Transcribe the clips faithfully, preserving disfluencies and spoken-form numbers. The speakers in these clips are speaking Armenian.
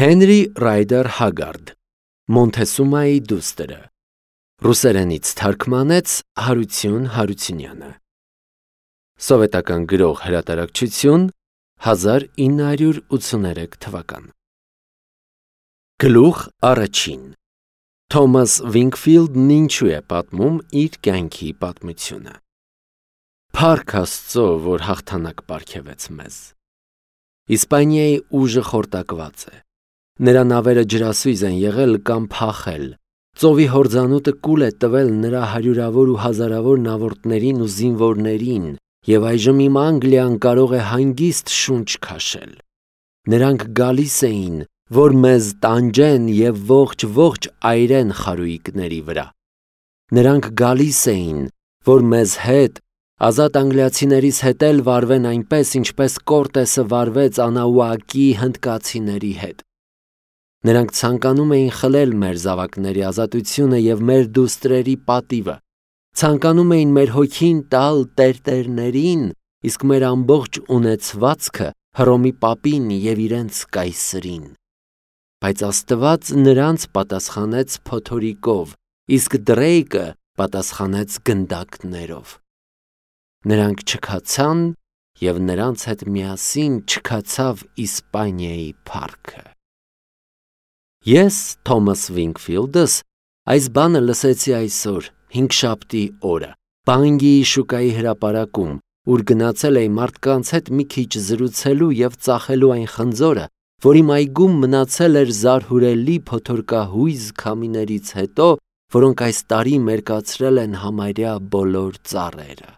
Հենրի Ռայդեր Հագարդ, Մոնթեսումայի դուստրը, ռուսերենից թարգմանեց Հարություն Հարությունյանը, սովետական գրող հրատարակչություն, հազար ինը հարյուր ութսուներեք թվական։ Գլուխ առաջին. Թոմաս Վինքֆիլդն ինչու է պատմում իր կյանքի պատմությունը։ Փառք Աստծո, որ հաղթանակ պարգևեց մեզ։ Իսպանիայի ուժը խորտակված է։ Նրա նավերը ջրասույզ են եղել կամ փախել։ Ծովի հորձանուտը կուլ է տվել նրա հարյուրավոր ու հազարավոր նավորդներին ու զինվորներին, եւ այժմ իմ Անգլիան կարող է հանգիստ շունչ քաշել։ Նրանք գալիս էին, որ մեզ տանջեն եւ ողջ-ողջ այրեն խարույկների վրա։ Նրանք գալիս էին, որ մեզ հետ, ազատ անգլիացիներից հետ էլ վարվեն այնպես, ինչպես Կորտեսը վարվեց Անաուակի հնդկացիների հետ։ Նրանք ցանկանում էին խլել մեր զավակների ազատությունը եւ մեր դուստրերի պատիվը, ցանկանում էին մեր հոգին տալ տերտերներին, իսկ մեր ամբողջ ունեցվածքը Հռոմի պապին եւ իրենց կայսրին։ Բայց Աստված նրանց պատասխանեց փոթորիկով, իսկ Դրեյկը պատասխանեց գնդակներով։ Նրանք չքացան եւ նրանց հետ միասին չքացավ Իսպանիայի փառքը։ Ես, Թոմաս Վինքֆիլդս, այս բանը լսեցի այսօր, հինգշաբթի օրը, Բանգիի շուկայի հրապարակում, ուր գնացել էի մարդկանց հետ մի քիչ զրուցելու եւ ծախելու այն խնձորը, որ իմ այգում մնացել էր զարհուրելի փոթորկահույզ քամիներից հետո, որոնք այս տարի մերկացրել են համարյա բոլոր ծառերը։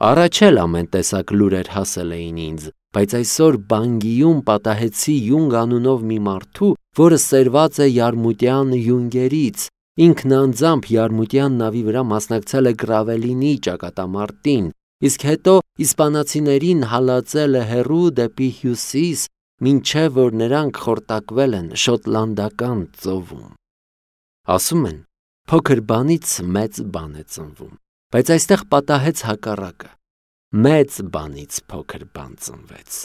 Առաջ էլ ամեն տեսակ լուրեր հասել էին ինձ, բայց այսօր Բանգիում պատահեցի Յունգ անունով մի մարդու, որը սերված է Յարմուտյան յունգերից, ինքն անձամբ Յարմուտյան նավի վրա մասնակցել է Գրավելինի ճակատամարտին, իսկ հետո իսպանացիներին հալածել է հեռու դեպի հյուսիս, մինչև որ նրանք խորտակվել են Շոտլանդական ծովում։ Ասում են, փոքր բանից մեծ բան է ծնվում, բայց այստեղ պատահեց հակառակը, մեծ բանից փոքր բան ծնվեց։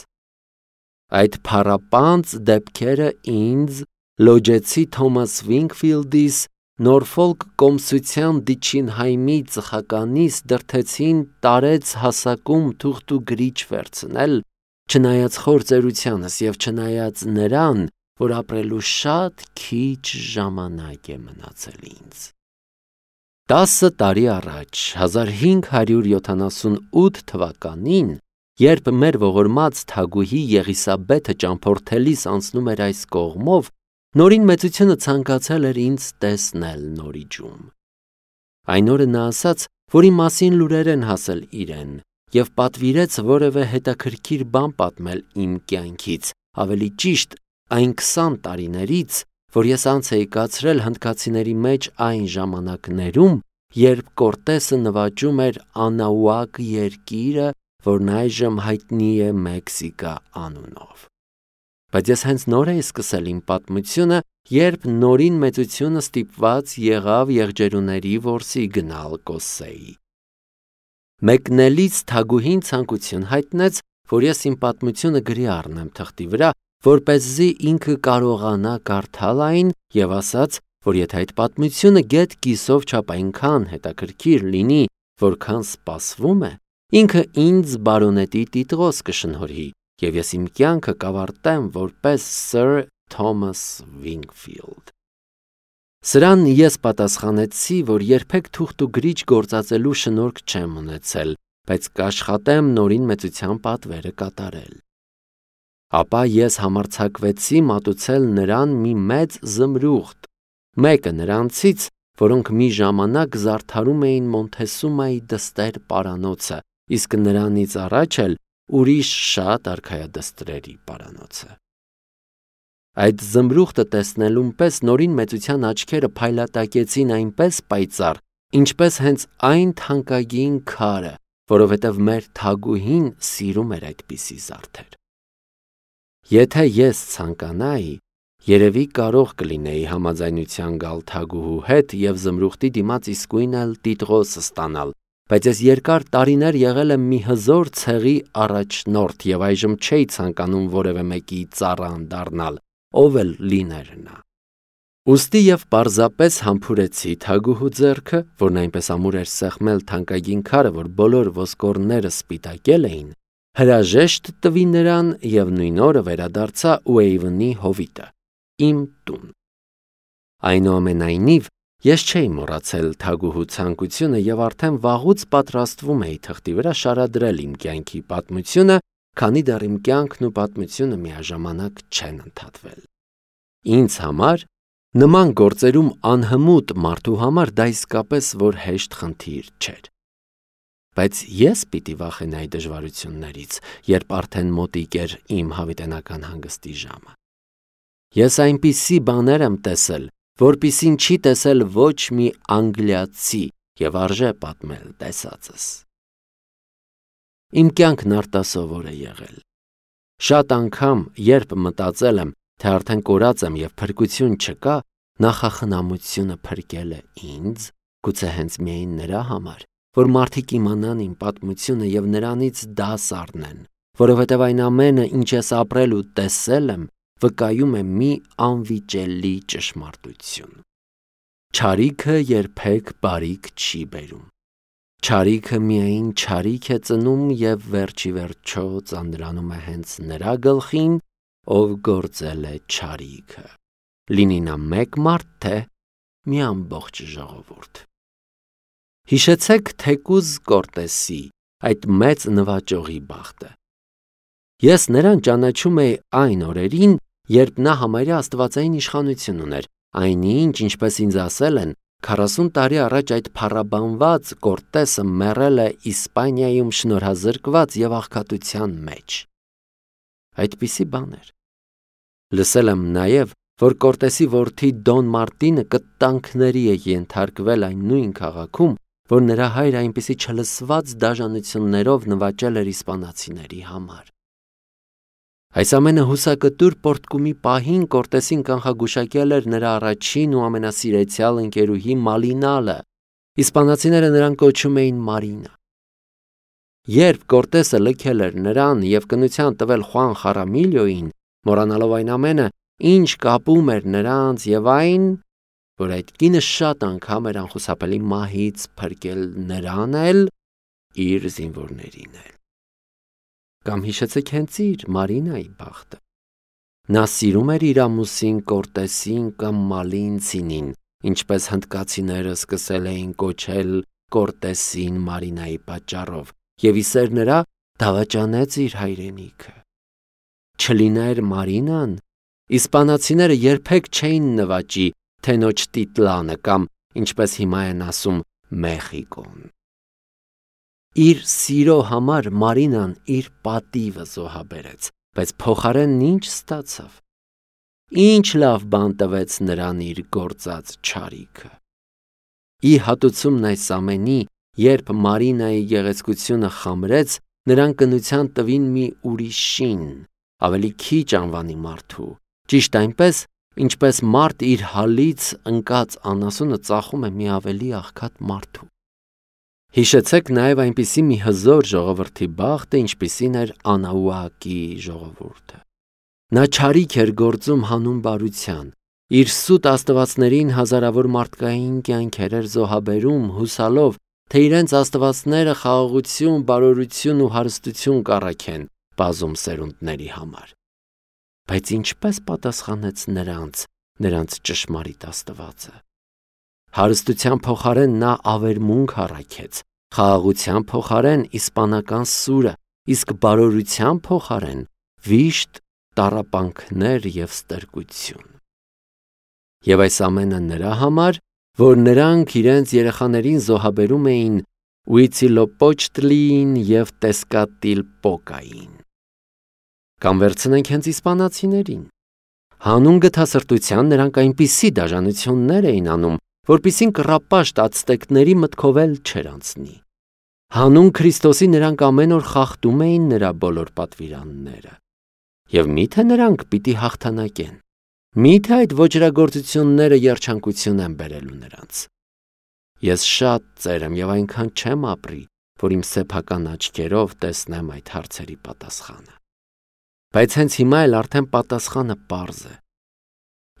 Այդ փառապանծ դեպքերը ինձ, լոջեցի Թոմաս Վինքֆիլդիս, Նորֆոլք կոմսության դիչինհայմի ծխականից դրթեցին տարեց հասակում թուղթ ու գրիչ վերցնել, չնայած խոր ծերությանս եւ չնայած նրան, որ ապրելու շատ քիչ ժամանակ է մնացել ինձ։ Տասը տարի առաջ, հազար հինգ հարյուր յոթանասունութ թվականին, երբ մեր ողորմած թագուհի Եղիսաբեթը ճամփորդելիս անցնում էր այս կողմով, Նորին մեծությունը ցանկացել էր ինձ տեսնել Նորիջում։ Այն օրը նա ասաց, որ իմ մասին լուրեր են հասել իրեն, եւ պատվիրեց որևէ հետաքրքիր բան պատմել իմ կյանքից, ավելի ճիշտ այն քսան տարիներից, որ ես անց էի կացրել հնդկացիների մեջ այն ժամանակներում, երբ Կորտեսը նվաճում էր Անաուակ երկիրը, որն այժմ հայտնի է Մեքսիկա անունով։ Բայց ես հենց նոր էի սկսել իմ պատմությունը, երբ Նորին մեծությունը ստիպված եղավ եղջերուների որսի գնալ Կոսեի։ Մեկնելից թագուհին ցանկություն հայտնեց, որ ես իմ պատմությունը գրի առնեմ թղթի վրա, որպեսզի ինքը կարողանա կարդալ այն եւ ասաց, որ եթե այդ պատմությունը գետ կիսով չափ այնքան հետաքրքիր լինի, որքան սպասվում է, ինքը ինձ բարոնետի տիտղոս կշնորհի, եւ ես իմ կյանքը կավարտեմ որպես Սըր Թոմաս Վինքֆիլդ։ Սրան ես պատասխանեցի, որ երբեք թուղթ ու գրիչ գործածելու շնորհք չեմ ունեցել, բայց կաշխատեմ Նորին մեծության պատվերը կատարել։ Ապա ես համարձակվեցի մատուցել նրան մի մեծ զմրուղտ, մեկը նրանցից, որոնք մի ժամանակ զարդարում էին Մոնթեսումայի դստեր պարանոցը, իսկ նրանից առաջ էլ ուրիշ շատ արքայադստրերի պարանոցը։ Այդ զմրուղտը տեսնելուն պես Նորին մեծության աչքերը փայլատակեցին այնպես պայծառ, ինչպես հենց այն թանկագին քարը, որովհետև մեր թագուհին սիրում էր այդպիսի զարդեր։ Եթե ես ցանկանայի, երևի կարող կլինեի համաձայնության գալ թագուհու հետ եւ զմրուղտի դիմաց իսկույն էլ տիտղոս ստանալ, բայց ես երկար տարիներ եղել եմ մի հզոր ցեղի առաջնորդ եւ այժմ չէի ցանկանում որևէ մեկի ծառան դառնալ, ով էլ լիներ նա։ Ուստի եւ պարզապես համբուրեցի թագուհու ձեռքը, որն այնպես ամուր էր սեղմել թանկագին քարը, որ բոլոր ոսկորները սպիտակել էին, հրաժեշտ տվի նրան եւ նույն օրը վերադարձա Ուեյվնի հովիտը, իմ տուն։ Այնուամենայնիվ, ես չէի մոռացել թագուհու ցանկությունը եւ արդեն վաղուց պատրաստվում էի թղթի վրա շարադրել իմ կյանքի պատմությունը, քանի դեռ իմ կյանքն ու պատմությունը միաժամանակ չեն ընդհատվել։ Ինձ համար նման գործերում անհմուտ մարդու համար դա իսկապես որ հեշտ խնդիր չէր։ Բայց ես պիտի վախենայի դժվարություններից, երբ արդեն մոտիկ էր իմ հավիտենական հանգստի ժամը։ Ես այնպիսի բաներ եմ տեսել, որպիսին չի տեսել ոչ մի անգլիացի եւ արժե պատմել տեսածս։ Իմ կյանքն արտասովոր է եղել։ Շատ անգամ, երբ մտածել եմ, թե արդեն կորած եմ եւ փրկություն չկա, նախախնամությունը փրկել է ինձ, գուցե հենց միայն նրա համար, որ մարդիկ իմանան իմ պատմությունը եւ նրանից դաս առնեն, որովհետեւ այն ամենը, ինչ ես ապրել ու տեսել եմ, վկայում է մի անվիճելի ճշմարտություն։ Չարիքը երբեք բարիք չի բերում։ Չարիքը միայն չարիք է ծնում եւ վերջի վերջո ծանրանում է հենց նրա գլխին, ով գործել է չարիքը։ Լինի նա մեկ մարդ, թե մի ամբողջ ժողովուրդ։ Հիշեցեք թեկուզ Կորտեսի այդ մեծ նվաճողի բախտը։ Ես նրան ճանաչում էի այն օրերին, երբ նա համարյա աստվածային իշխանություն ուներ, այնինչ, ինչպես ինձ ասել են, քառասուն տարի առաջ այդ փառաբանված Կորտեսը մեռել է Իսպանիայում շնորհազրկված եւ աղքատության մեջ։ Այդպիսի բաներ։ Լսել եմ նաեւ, որ Կորտեսի որդի Դոն Մարտինը կտանքների է ենթարկվել այն նույն քաղաքում, որ նրա հայրը այնպիսի չլսված դաժանություններով նվաճել էր իսպանացիների համար։ Այս ամենը հուսակտուր պորտկումի պահին Կորտեսին կանխագուշակել էր նրա առաջին ու ամենասիրեցյալ ընկերուհի Մալինալը, իսպանացիները նրան կոչում էին Մարինա։ Երբ Կորտեսը լքել էր նրան եւ կնության տվել Խուան Խարամիլիոին, մոռանալով այն ամենը, ինչ կապում էր նրանց եւ այն, որ այդ կինը շատ անգամ էր անխուսափելի մահից փրկել նրան էլ, իր զինվորներին էլ։ Կամ հիշեցեք հենց իր Մարինայի բախտը։ Նա սիրում էր իր ամուսին Կորտեսին կամ Մալինցինին, ինչպես հնդկացիները սկսել էին կոչել Կորտեսին Մարինայի պատճառով, եւ իսեր նրա դավաճանեց իր հայրենիքը։ Չլիներ Մարինան, իսպանացիները երբեք չէին նվաճի Թենոչ Տիտլանը կամ, ինչպես հիմա են ասում, Մեխիկոն։ Իր սիրո համար Մարինան իր պատիվը զոհաբերեց, բայց փոխարենն ինչ ստացավ։ Ինչ լավ բան տվեց նրան իր գործած չարիքը։ Ի հատուցումն այս ամենի, երբ Մարինայի գեղեցկությունը խամրեց, նրան կնության տվին մի ուրիշին, ավելի քիչ անվանի մարդու, ճիշտ այնպես, ինչպես մարդ իր հալից ընկած անասունը ծախում է մի ավելի աղքատ մարդու։ Հիշեցեք նաև այնպիսի մի հզոր ժողովրդի բախտը, ինչպիսին էր Անաուակի ժողովուրդը։ Նա չարիք էր գործում հանուն բարության, իր սուտ աստվածներին հազարավոր մարդկային կյանքեր էր զոհաբերում, հուսալով, թե իրենց աստվածները խաղաղություն, բարօրություն ու հարստություն կառաքեն բազում սերունդների համար։ Բայց ինչպես պատասխանեց նրանց, նրանց ճշմարիտ աստվածը։ Հարստության փոխարեն նա ավերմունք առաքեց, խաղաղության փոխարեն իսպանական սուրը, իսկ բարօրության փոխարեն վիշտ, տառապանքներ եւ ստրկություն։ Եվ այս ամենը նրա համար, որ նրանք իրենց երեխաներին զոհաբերում էին Ուիցիլոպոչտլին եւ Տեսկատիլպոկային։ Կամ վերցնենք հենց իսպանացիներին։ Հանուն գթասրտության նրանք այնպիսի դաժանություններ էին անում, որպիսին կռապաշտ ացտեկների մտքով էլ չէր անցնի։ Հանուն Քրիստոսի նրանք ամեն օր խախտում էին նրա բոլոր պատվիրանները։ Եվ միթե նրանք պիտի հաղթանակեն։ Միթե այդ ոճրագործությունները երջանկություն են բերելու նրանց։ Ես շատ ծեր եմ եւ այնքան չեմ ապրի, որ իմ սեփական աչքերով տեսնեմ այդ հարցերի պատասխանը։ Բայց հենց հիմա էլ արդեն պատասխանը պարզ է։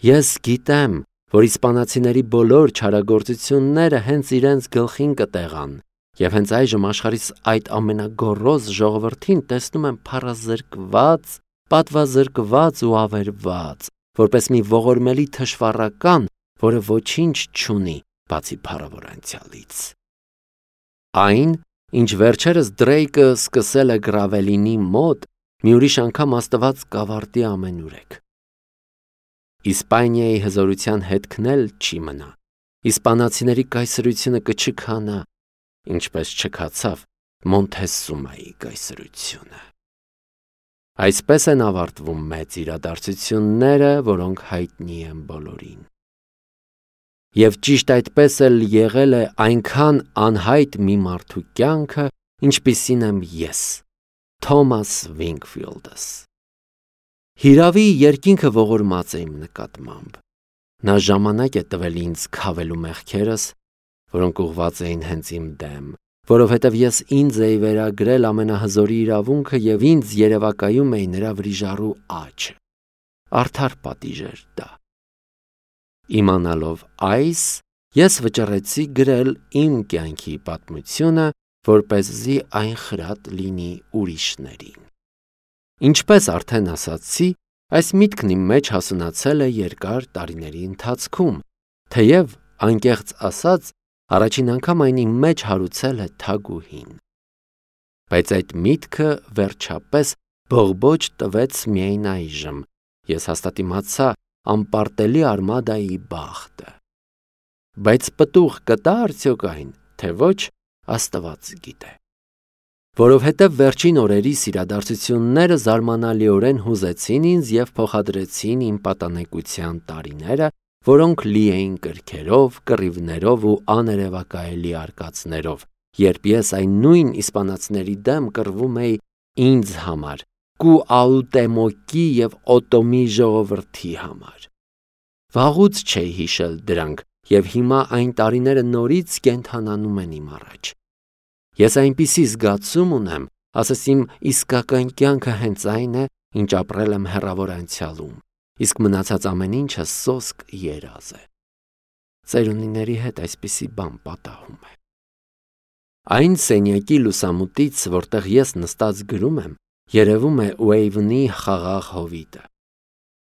Ես գիտեմ, որ իսպանացիների բոլոր չարագործությունները հենց իրենց գլխին կտեղան, և հենց այժմ աշխարհիս այդ ամենագոռոզ ժողովրդին տեսնում եմ փառազրկված, պատվազրկված ու ավերված, որպես մի ողորմելի թշվառական, որը ոչինչ չունի, բացի փառավոր անցյալից։ Այն, ինչ վերջերս Դրեյկը սկսել է Գրավելինի մոտ, մի ուրիշ անգամ Աստված կավարտի ամենուրեք։ Իսպանիայի հզորության հետքն էլ չի մնա, իսպանացիների կայսրությունը կչքանա, ինչպես չքացավ Մոնթեսումայի կայսրությունը։ Այսպես են ավարտվում մեծ իրադարձությունները, որոնք հայտնի են բոլորին։ Եվ ճիշտ այդպես էլ եղել է այնքան անհայտ մի մարդու կյանքը, ինչպիսին եմ ես, Թոմաս Վինքֆիլդս։ Հիրավի երկինքը ողորմած է իմ նկատմամբ։ Նա ժամանակ է տվել ինձ քավելու մեղքերս, որոնք ուղղված էին հենց իմ դեմ, որովհետև ես ինձ էի վերագրել ամենահզորի իրավունքը և ինձ երևակայում էի նրա վրիժառու աչը։ Արդար պատիժ էր դա։ Իմանալով այս, ես վճռեցի գրել իմ կյանքի պատմությունը, որպեսզի այն խրատ լինի ուրիշներին։ Ինչպես արդեն ասացի, այս միտքն իմ մեջ հասունացել է երկար տարիների ընթացքում, թեև, անկեղծ ասած, առաջին անգամ այն իմ մեջ հարուցել է թագուհին։ Բայց այդ միտքը վերջապես բողբոջ տվեց միայն այժմ, ես հաստատ իմացա անպարտելի արմադայի բախտը։ Բայց պտուղ կտա արդյոք այն, թե ոչ, Աստված գիտե։ Որովհետև վերջին օրերիս իրադարձությունները զարմանալիորեն հուզեցին ինձ և փոխադրեցին իմ պատանեկության տարիները, որոնք լի էին կրքերով, կռիվներով ու աներևակայելի արկածներով, երբ ես այն նույն իսպանացիների դեմ կռվում էի ինձ համար, Կուաուտեմոկի և Օտոմի ժողովրդի համար։ Վաղուց չէի հիշել դրանք, և հիմա այն տարիները նորից կենդանանում են իմ առաջ։ Ես այնպիսի զգացում ունեմ, ասես իմ իսկական կյանքը հենց այն է, ինչ ապրել եմ հեռավոր անցյալում, իսկ մնացած ամեն ինչը սոսկ երազ է։ Ծերունիների հետ այսպիսի բան պատահում է։ Այն սենյակի լուսամուտից, որտեղ ես նստած գրում եմ, երևում է Ուեյվնի խաղաղ հովիտը։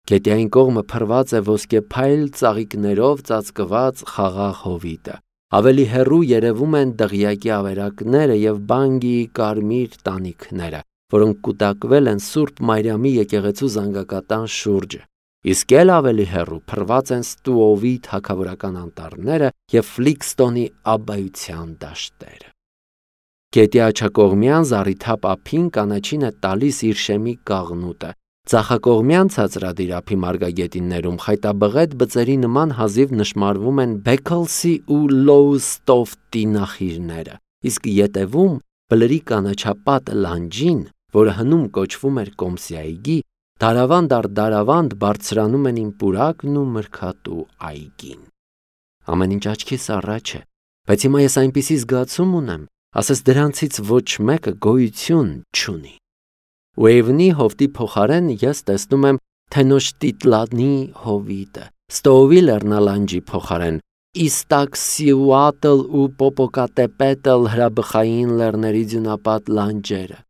Գետի այն կողմը փռված է ոսկեփայլ ծաղիկներով ծածկված խաղաղ հովիտը, ավելի հեռու երևում են դղյակի ավերակները և Բանգիի կարմիր տանիքները, որոնք կուտակվել են Սուրբ Մարիամի եկեղեցու զանգակատան շուրջը, իսկ էլ ավելի հեռու փռված են Ստուովի թագավորական անտառները և Ֆլիքստոնի աբբայության դաշտերը։ Գետի աջակողմյան զառիթափ ափին կանաչին է տալիս իր շեմի կաղնուտը, ձախակողմյան ցածրադիր ափի մարգագետիններում խայտաբղետ բծերի նման հազիվ նշմարվում են Բեքլսի ու Լոուստոֆտի նախիրները, իսկ ետևում բլրի կանաչապատ լանջին, որը հնում կոչվում էր Կոմսի այգի, դարավանդ առ դարավանդ բարձրանում են իմ պուրակն ու մրգատու այգին։ Ամեն ինչ աչքիս առաջ է, բայց հիմա ես այնպիսի զգացում ունեմ, ասես դրանցից ոչ մեկը գոյություն չունի։ Ուեյվնի հովտի փոխարեն ես տեսնում եմ Թենոշտիտլանի հովիտը, Ստոովի լեռնալանջի փոխարեն Իստաքսիուատլ ու Պոպոկատեպետլ հրաբխային լեռների ձյունապատ լանջերը,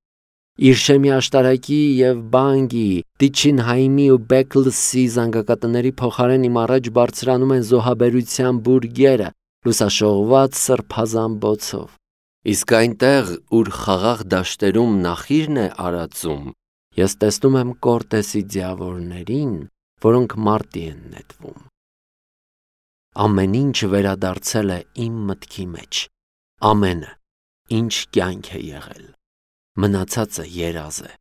Իրշեմի աշտարակի և Բանգիի, Տիչինհայմի ու Բեքլսի զանգակատների փոխարեն իմ առաջ բարձրանում են զոհաբերության բուրգերը, լուսաշողված սրբազան Իսկ այնտեղ, ուր խաղաղ դաշտերում նախիրն է արածում, ես տեսնում եմ Կորտեսի ձիավորներին, որոնք մարտի են նետվում։ Ամեն ինչ վերադարձել է իմ մտքի մեջ, ամենը, ինչ կյանք է եղել, մնացածը երազ է։